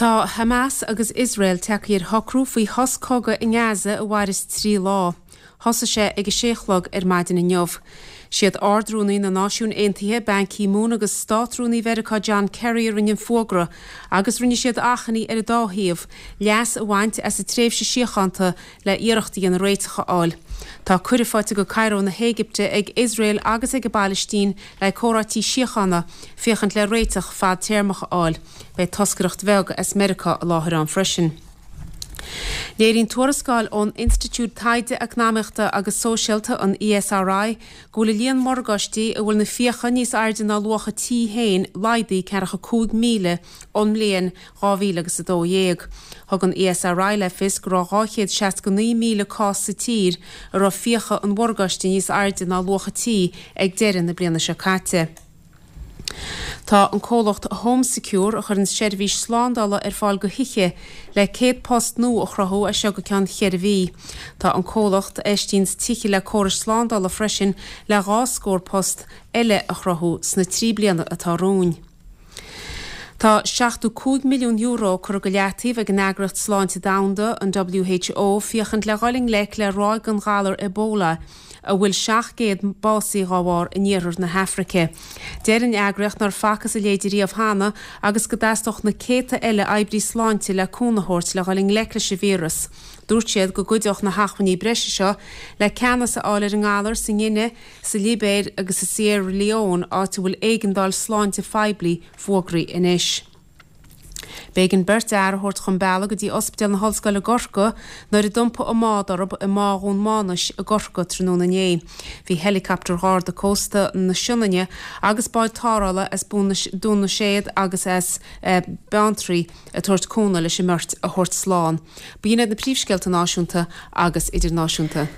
Tá Hamas agus Iosrael tagtha ar shocrú faoi shos cogaidh i nGaza a mhairfeas 3 lá. Thosaigh sé ag a sé a chlog ar maidin inniu. Siad Ard-Rúnaí na Náisiún Aontaithe, Ban Ki-moon agus Státrúnaí Mheiriceá John Kerry a rinne an fuagra agus rinne siad achainí ar an dá thaobh leas a bhaint as an tréimhse síochánta le iarracht a dhéanamh réiteach a fháil. Tá cuireadh faighte go Cairo na hÉigipte ag Iosrael agus ag an bPailistín le comhráití síochána féachaint le réiteach fadtéarmach a fháil. Beidh toscaireacht bheag as Meiriceá i láthair ann freisin. Léiríonn tuarascáil ón Institiúid Taighde Eacnamaíochta agus Sóisialta, an ESRI, go bhfuil an líon morgáistí a bhfuil na fiacha níos airde ná luach a tí féin laghdaithe ceathracha 5,000 ón mbliain 2012. Thug an ESRI le fios go raibh 269,000 cás sa tír a raibh fiacha an mhorgáiste níos airde ná luach a tí ag deireadh na bliana seo caite. Tá an comhlacht Home Secure, a chuireann seirbhís slándála ar fáil do thithe, le 100 post nua a chruthú as seo go ceann cheithre mhí. Tá an comhlacht, a fheistíonns tithe le córais slándála freisin, le dhá scór post eile a chruthú sna 3 bliana atá romhainn. Tá €75 milliún curtha go leataobh ag an Eagraíocht Sláinte Domhanda, an WHO, féachaint le dhul i ngleic le ráig den ghalar Ebola, a bhfuil 700 básaithe dhá bharr in iarthar na hAfraice. Deir an eagraíocht nár facthas a leithéid riamh cheana agus go dteastódh na céadta eile oibrí sláinte le cúnamh a thabhairt le dhul i ngleic leis an víreas. Dúirt siad go gcuideodh na hacmhainní breise seo le ceannas a fháil ar an ngalar sa nGuine, sa Libéir agus i Sierra Leone, áit a bhfuil éigeandáil sláinte phoiblí fógraithe anois. B'éigean beirt fhear a thabhairt chun bealaigh go dtí Ospidéal na hOllscoile i gCorcaigh nuair a d'iompaigh a mbád orthu i mBá Dhún Mánais i gCorcaigh tráthnóna inné. Bhí heileacaptar Gharda Cósta na Sionainne agus báid tarrthála as Dún na Séad agus as Beanntraí ag tabhairt cúnamh leis an mbeirt a thabhairt slán. B'in iad na príomhscéalta náisiúnta agus idirnáisiúnta.